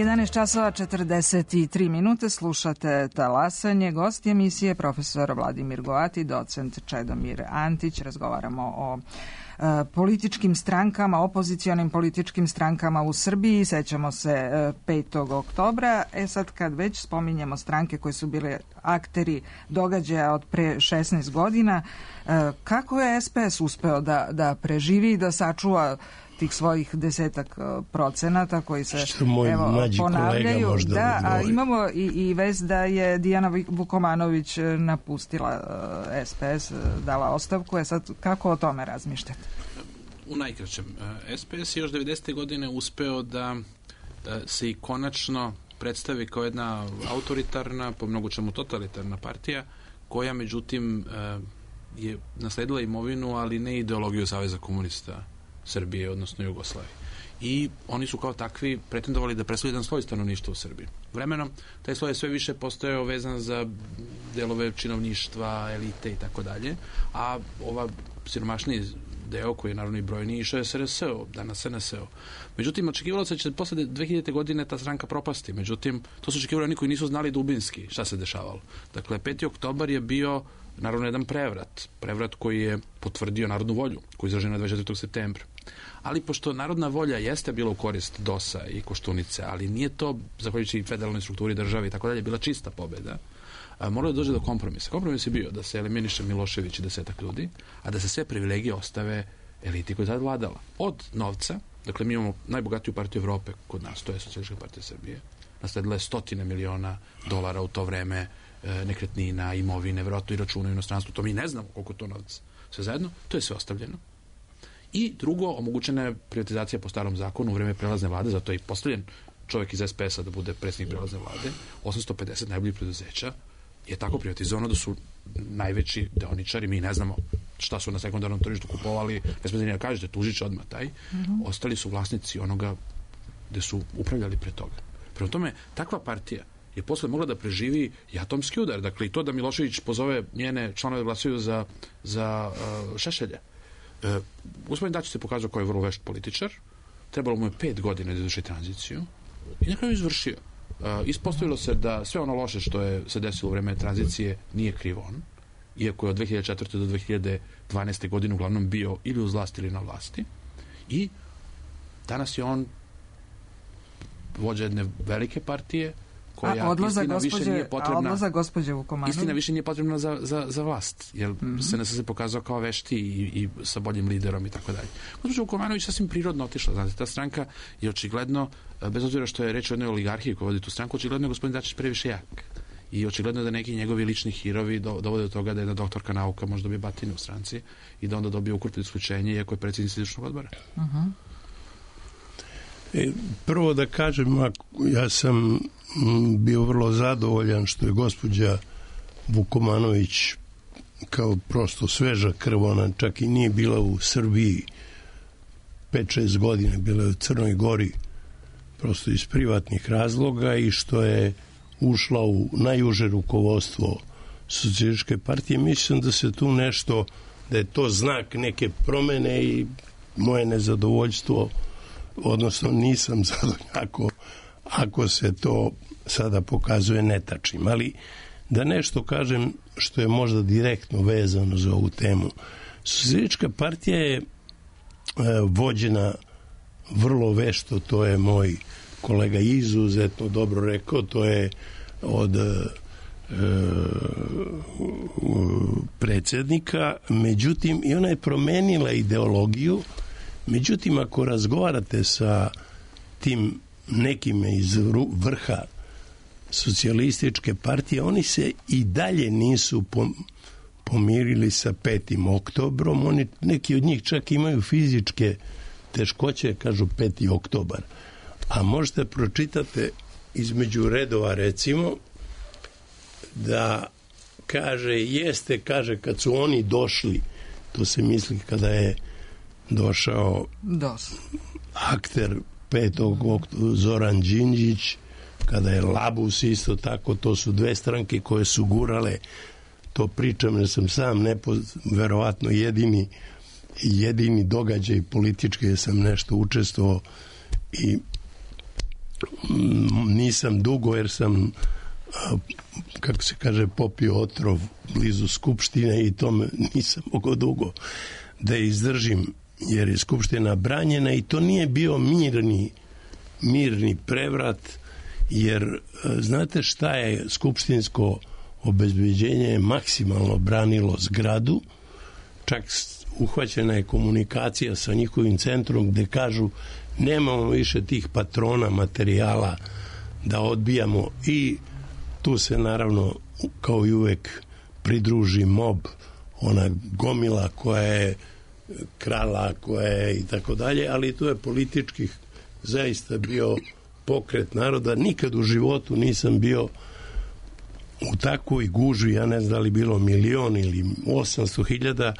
jedanaest časova četrdeset tri minute, slušate Talasanje. Gost emisije profesor Vladimir Goati, docent Čedomir Antić. Razgovaramo o e, političkim strankama, opozicionim političkim strankama u Srbiji. Sećamo se e, petog oktobra. E sad kad već spominjemo stranke koje su bile akteri događaja od pre šesnaest godina, e, kako je S P S uspeo da, da preživi i da sačuva tih svojih desetak procenata koji se evo, ponavljaju. Da, a imamo i, i vez da je Dijana Vukomanović napustila S P S, dala ostavku. Je sad, kako o tome razmišljate? U najkraćem, S P S je još devedesete godine uspeo da se i konačno predstavi kao jedna autoritarna, po mnogo čemu totalitarna partija, koja međutim je nasledila imovinu, ali ne ideologiju Saveza komunista Srbije, odnosno Jugoslavije. I oni su kao takvi pretendovali da predstavljaju jedan sloj stanovništva u Srbiji. Vremenom, taj sloj je sve više postojao vezan za delove činovništva, elite i tako dalje, a ova siromašniji deo, koji je naravno i brojniji, išao je S R S O, danas S N S O. Međutim, očekivalo se da će posle dve hiljadite. godine ta stranka propasti. Međutim, to su očekivali oni koji nisu znali dubinski šta se dešavalo. Dakle, peti oktobar je bio naravno jedan prevrat. Prevrat koji je potvrdio narodnu volju, koji je izražen na dvadeset četvrtog septembra. Ali pošto narodna volja jeste bila u korist D O S-a i Koštunice, ali nije to, zahvaljujući federalnoj strukturi države i tako dalje, bila čista pobeda, moralo da dođe do kompromisa. Kompromis je bio da se eliminiše Milošević i desetak ljudi, a da se sve privilegije ostave eliti koja je tada vladala. Od novca, dakle mi imamo najbogatiju partiju Evrope kod nas, to je Socijalistička partija Srbije, nasledila je stotine miliona dolara u to vreme e, nekretnina, imovine, vjerojatno i računa u inostranstvu, to mi ne znamo koliko to novac sve zajedno, to je sve ostavljeno. I drugo, omogućena je privatizacija po starom zakonu u vreme prelazne vlade, zato je i postavljen čovjek iz es pe es a da bude predsjednik prelazne vlade, osamsto pedeset najboljih preduzeća je tako privatizovano da su najveći deoničari, mi ne znamo šta su na sekundarnom tržištu kupovali, bez da kažete, tužit će odmah taj, mm-hmm. ostali su vlasnici onoga gde su upravljali pre toga. Prema tome, takva partija je posle mogla da preživi i atomski udar, dakle i to da Milošević pozove njene članove da glasaju za, za uh, Šešelja. Uh, gospodin Dačić se pokazao kao je vrlo vešt političar, trebalo mu je pet godina da izvrši tranziciju i na kraju izvršio. Uh, ispostavilo se da sve ono loše što je se desilo u vreme tranzicije nije kriv on, iako je od dve hiljade četvrte do dve hiljade dvanaeste godine uglavnom bio ili uz vlasti ili na vlasti, i danas je on vođa jedne velike partije koja a odlaza istina gospođe, više nije potrebna. A odlaza gospođe Vukomanović? Istina više nije potrebna za, za, za vlast, jer mm-hmm. se nas se pokazao kao vešti i, i sa boljim liderom i tako dalje. Gospođa Vukomanović sasvim prirodno otišla. Znate, ta stranka je očigledno, bez obzira što je reč o jednoj oligarhiji koja vodi tu stranku, očigledno je gospodin Dačić previše jak. I očigledno je da neki njegovi lični hirovi dovode do toga da jedna doktorka nauka može dobije batine u stranci i da onda dobije ukrupno isključenje, iako je predsjednik izvršnog odbora. Uh-huh. E, prvo da kažem, ja sam bio vrlo zadovoljan što je gospođa Vukomanović kao prosto sveža krv, ona čak i nije bila u Srbiji pet šest godine, bila je u Crnoj Gori prosto iz privatnih razloga, i što je ušla u najuže rukovodstvo Socijalističke partije. Mislim da se tu nešto, da je to znak neke promene, i moje nezadovoljstvo, odnosno nisam zadovoljan ako, ako se to sada pokazuje netačnim. Ali da nešto kažem što je možda direktno vezano za ovu temu. Socijalistička partija je e, vođena vrlo vešto, to je moj kolega izuzetno dobro rekao, to je od e, predsjednika, međutim i ona je promenila ideologiju. Međutim, ako razgovarate sa tim nekime iz vrha Socijalističke partije, oni se i dalje nisu pomirili sa petim oktobrom. Oni, neki od njih čak imaju fizičke teškoće, kažu peti oktobar. A možete pročitate između redova, recimo, da kaže, jeste, kaže, kad su oni došli, to se misli kada je došao Dos. akter petog oktobra Zoran Đinđić, kada je Labus isto tako, to su dve stranke koje su gurale, to pričam jer sam sam nepo, verovatno jedini jedini događaj politički jer sam nešto učestvovao i nisam dugo jer sam, kako se kaže, popio otrov blizu Skupštine i tome nisam mogao dugo da izdržim, jer je Skupština branjena i to nije bio mirni mirni prevrat, jer znate šta je skupštinsko obezbeđenje je maksimalno branilo zgradu, čak uhvaćena je komunikacija sa njihovim centrom gde kažu nemamo više tih patrona materijala da odbijamo, i tu se naravno kao i uvek pridruži mob, ona gomila koja je krala, koja je i tako dalje, ali tu je političkih zaista bio pokret naroda. Nikad u životu nisam bio u takvoj gužvi, ja ne znam da li bilo milion ili osamsto hiljada,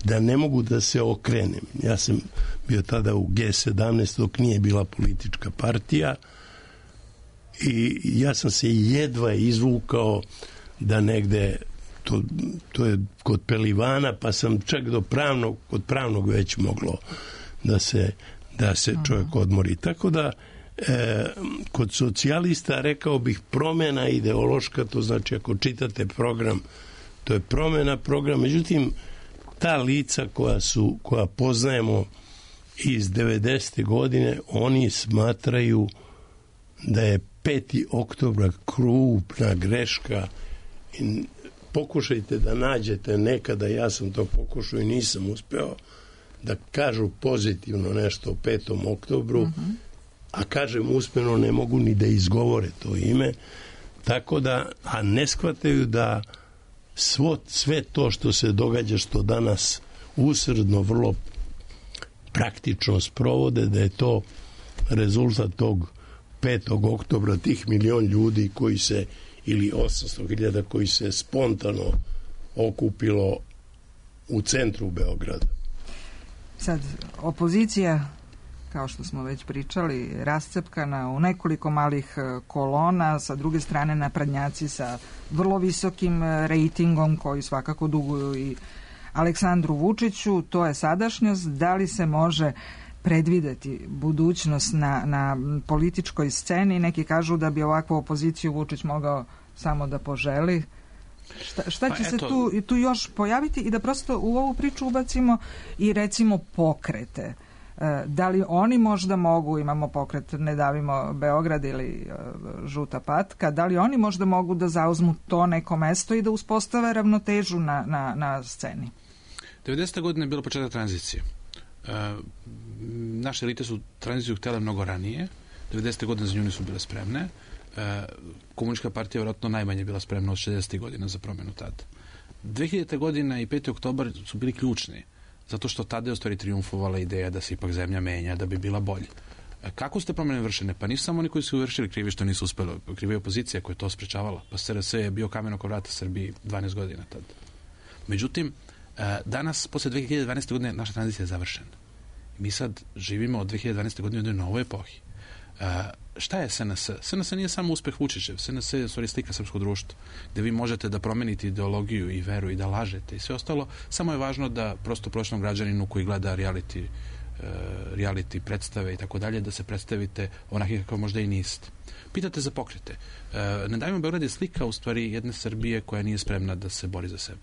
da ne mogu da se okrenem. Ja sam bio tada u ge sedamnaest dok nije bila politička partija i ja sam se jedva izvukao da negde to, to je kod Pelivana, pa sam čak do pravnog, kod pravnog već moglo da se, da se čovjek odmori. Tako da e, kod socijalista rekao bih promjena ideološka, to znači ako čitate program, to je promjena programa, međutim ta lica koja su, koja poznajemo iz devedesete godine, oni smatraju da je peti oktobar krupna greška i pokušajte da nađete nekada, ja sam to pokušao i nisam uspeo, da kažu pozitivno nešto o petom oktobru, mm-hmm. a kažem usmeno ne mogu ni da izgovore to ime, Tako da, a ne shvataju da svo, sve to što se događa, što danas usredno, vrlo praktično sprovode, da je to rezultat tog petog oktobra, tih milion ljudi koji se, ili osamsto hiljada koji se spontano okupilo u centru Beograda. Sad, opozicija, kao što smo već pričali, rascepkana u nekoliko malih kolona, sa druge strane naprednjaci sa vrlo visokim rejtingom koji svakako duguju i Aleksandru Vučiću. To je sadašnjost. Da li se može predvideti budućnost na, na političkoj sceni? Neki kažu da bi ovakvu opoziciju Vučić mogao samo da poželi. Šta, šta će pa, se tu, tu još pojaviti i da prosto u ovu priču ubacimo i recimo pokrete. Da li oni možda mogu, imamo pokret Ne davimo Beograd ili Žuta patka, da li oni možda mogu da zauzmu to neko mesto i da uspostave ravnotežu na, na, na sceni? devedesete godine je bilo početak tranzicije. E, naše elite su tranziciju htjele mnogo ranije. devedesete godine za nju nisu bile spremne. E, komunistička partija je vjerojatno najmanje bila spremna od šezdesetih godina za promjenu tada. dve hiljadite godina i peti oktobar su bili ključni, zato što tada je u stvari triumfovala ideja da se ipak zemlja menja, da bi bila bolja. E, kako su te promjene vršene? Pa nisu samo oni koji su vršili krivi što nisu uspeli. Kriva je opozicija koja je to sprečavala. Pa S R S je bio kamen oko vrata Srbiji dvanaest godina tada. Međutim, danas, posle dve hiljade dvanaeste. godine, naša tranzicija je završena. Mi sad živimo od dve hiljade dvanaeste. godine u jednoj novoj epohi. Uh, šta je S N S? S N S nije samo uspeh Vučićev. S N S je stvari slika srpskog društva, gde vi možete da promenite ideologiju i veru i da lažete i sve ostalo. Samo je važno da prosto prosječnom građaninu koji gleda reality, uh, reality predstave i tako dalje, da se predstavite onaki kako možda i niste. Pitate za pokrete. Uh, Ne davimo Beograd je slika u stvari jedne Srbije koja nije spremna da se bori za sebe.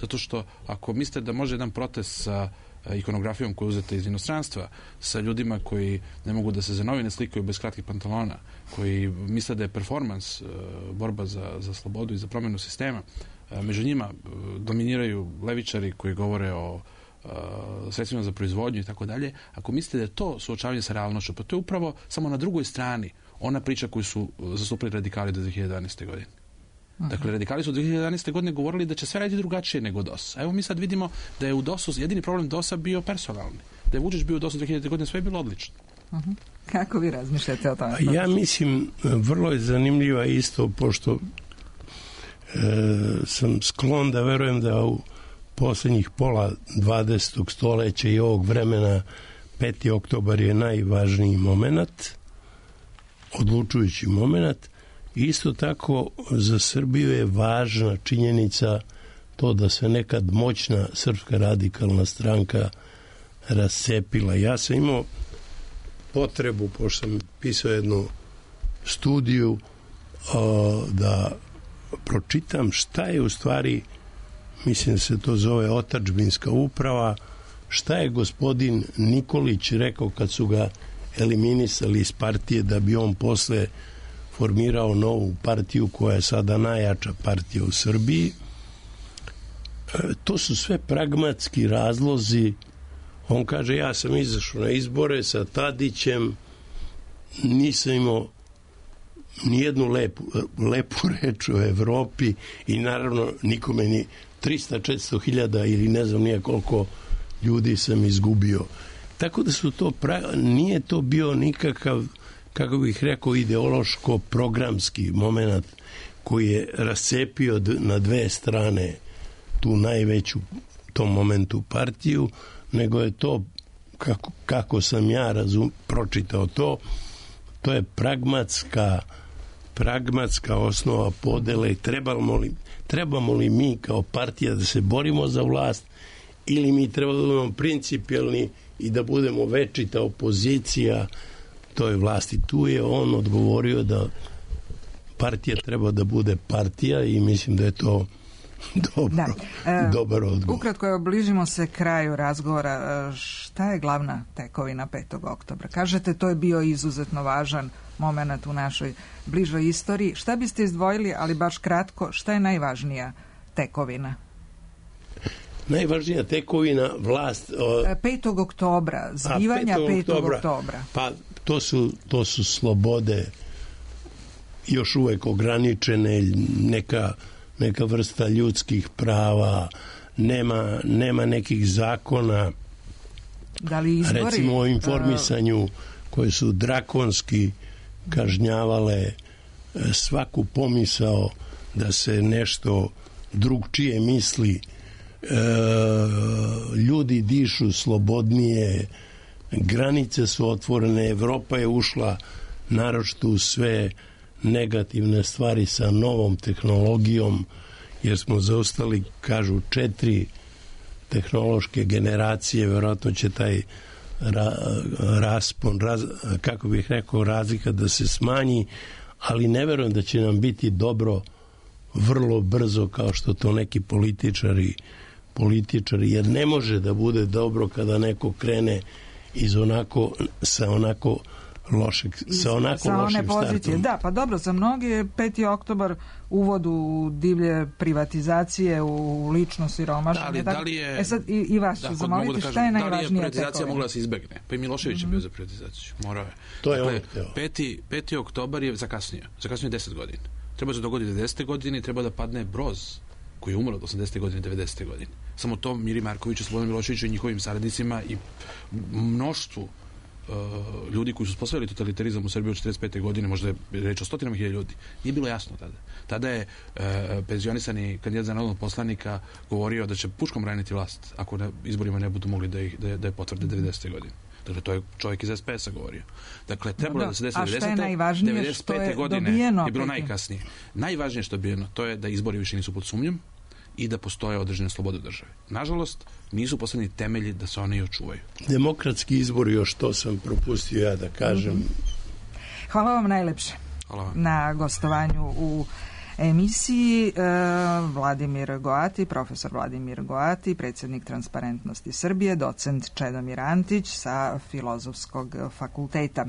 Zato što ako mislite da može jedan protest sa ikonografijom koju uzete iz inostranstva, sa ljudima koji ne mogu da se za novine slikaju bez kratkih pantalona, koji misle da je performans, borba za, za slobodu i za promjenu sistema, među njima dominiraju levičari koji govore o sredstvima za proizvodnju i tako dalje. Ako mislite da je to suočavanje sa realnošću, pa to je upravo samo na drugoj strani ona priča koju su zastupili radikali do dve hiljade dvanaeste. godine. Dakle, radikali su od dve hiljade jedanaeste. godine govorili da će sve raditi drugačije nego D O S. A evo mi sad vidimo da je u D O S-u jedini problem D O S-a bio personalni. Da je Vučić bio u D O S-u dve hiljadite. godine, sve je bilo odlično. Uh-huh. Kako vi razmišljate o tome? Ja mislim, vrlo je zanimljiva isto, pošto e, sam sklon da verujem da u posljednjih pola dvadesetog stoleća i ovog vremena peti oktobar je najvažniji moment, odlučujući moment. Isto tako za Srbiju je važna činjenica to da se nekad moćna Srpska radikalna stranka rascepila. Ja sam imao potrebu, pošto sam pisao jednu studiju, da pročitam šta je u stvari, mislim da se to zove otadžbinska uprava, šta je gospodin Nikolić rekao kad su ga eliminisali iz partije da bi on posle formirao novu partiju koja je sada najjača partija u Srbiji. E, to su sve pragmatski razlozi. On kaže, ja sam izašao na izbore sa Tadićem, nisam imao nijednu lepu, lepu reč o Evropi i naravno nikome ni trista četiristo hiljada ili ne znam nije koliko ljudi sam izgubio. Tako da su to, pra... nije to bio nikakav, kako bih rekao, ideološko-programski moment koji je rascepio na dve strane tu najveću tom momentu partiju, nego je to, kako, kako sam ja razum, pročitao to, to je pragmatska pragmatska osnova podele. Trebamo li, trebamo li mi kao partija da se borimo za vlast ili mi trebamo da budemo principijelni i da budemo večita opozicija toj vlasti. Tu je on odgovorio da partija treba da bude partija i mislim da je to dobro, da. E, dobar odgovor. Ukratko, bližimo se kraju razgovora. Šta je glavna tekovina petog oktobra? Kažete, to je bio izuzetno važan moment u našoj bližoj istoriji. Šta biste izdvojili, ali baš kratko, šta je najvažnija tekovina? Najvažnija tekovina vlast... petog oktobra, zbivanja petog oktobra. Pa to su, to su slobode još uvek ograničene, neka, neka vrsta ljudskih prava, nema, nema nekih zakona, da li izbori, recimo o informisanju koje su drakonski kažnjavale svaku pomisao da se nešto drugčije misli. E, ljudi dišu slobodnije, granice su otvorene, Evropa je ušla naročito u sve negativne stvari sa novom tehnologijom, jer smo zaostali, kažu, četiri tehnološke generacije, verovatno će taj ra, raspon, raz, kako bih rekao, razlika da se smanji, ali ne verujem da će nam biti dobro vrlo brzo kao što to neki političari političari, jer ne može da bude dobro kada neko krene iz onako, sa onako lošeg, sa onako sa lošim startom. Da, pa dobro, za mnogi je peti oktobar uvod u divlje privatizacije, u lično siromašenje. Da, da li je... E sad, i, i vas ću da, zamoliti, da šta je najvažnija tekovina? Da li je privatizacija tekovina? mogla da se izbegne? Pa i Milošević mm-hmm. je bio za privatizaciju. Morao je. To je dakle, on hteo. Peti, peti oktobar je zakasnio. Zakasnio je deset godina. Treba se dogoditi devedesete godine i treba da padne Broz, koji je umro od osamdesete godine, devedesete godine. Samo to Miri Markoviću, Slobodanu Miloševiću i njihovim saradnicima i mnoštvu uh, ljudi koji su uspostavili totalitarizam u Srbiji od četrdeset pete godine, možda je reč o stotinama hiljada ljudi, nije bilo jasno tada. Tada je uh, penzionisani kandidat za narodnog poslanika govorio da će puškom braniti vlast ako na izborima ne budu mogli da, ih, da, da je potvrde devedesete godine. Dakle, to je čovjek iz es pe es-a govorio. Dakle, trebalo da, da se desi devedesete. devedeset pete godine dobijeno, je bilo peti. najkasnije. Najvažnije što je dobijeno, to je da izbori više nisu pod sumnjom i da postoje određene slobode države. Nažalost, nisu postavljeni temelji da se one i očuvaju. Demokratski izbor, još to sam propustio ja da kažem. Mm-hmm. Hvala vam najlepše. Hvala vam. Na gostovanju u emisiji e, Vladimir Goati, profesor Vladimir Goati, predsjednik Transparentnosti Srbije, docent Čedomir Antić sa Filozofskog fakulteta.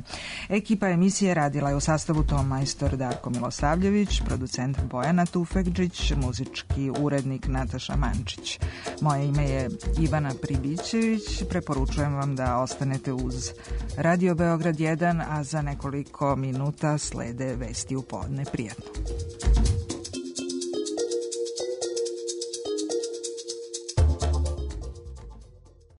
Ekipa emisije radila je u sastavu ton majstor Darko Milosavljević, producent Bojana Tufekđić, muzički urednik Nataša Mančić. Moje ime je Ivana Pribićević. Preporučujem vam da ostanete uz Radio Beograd jedan, a za nekoliko minuta slede vesti u podne. Prijatno.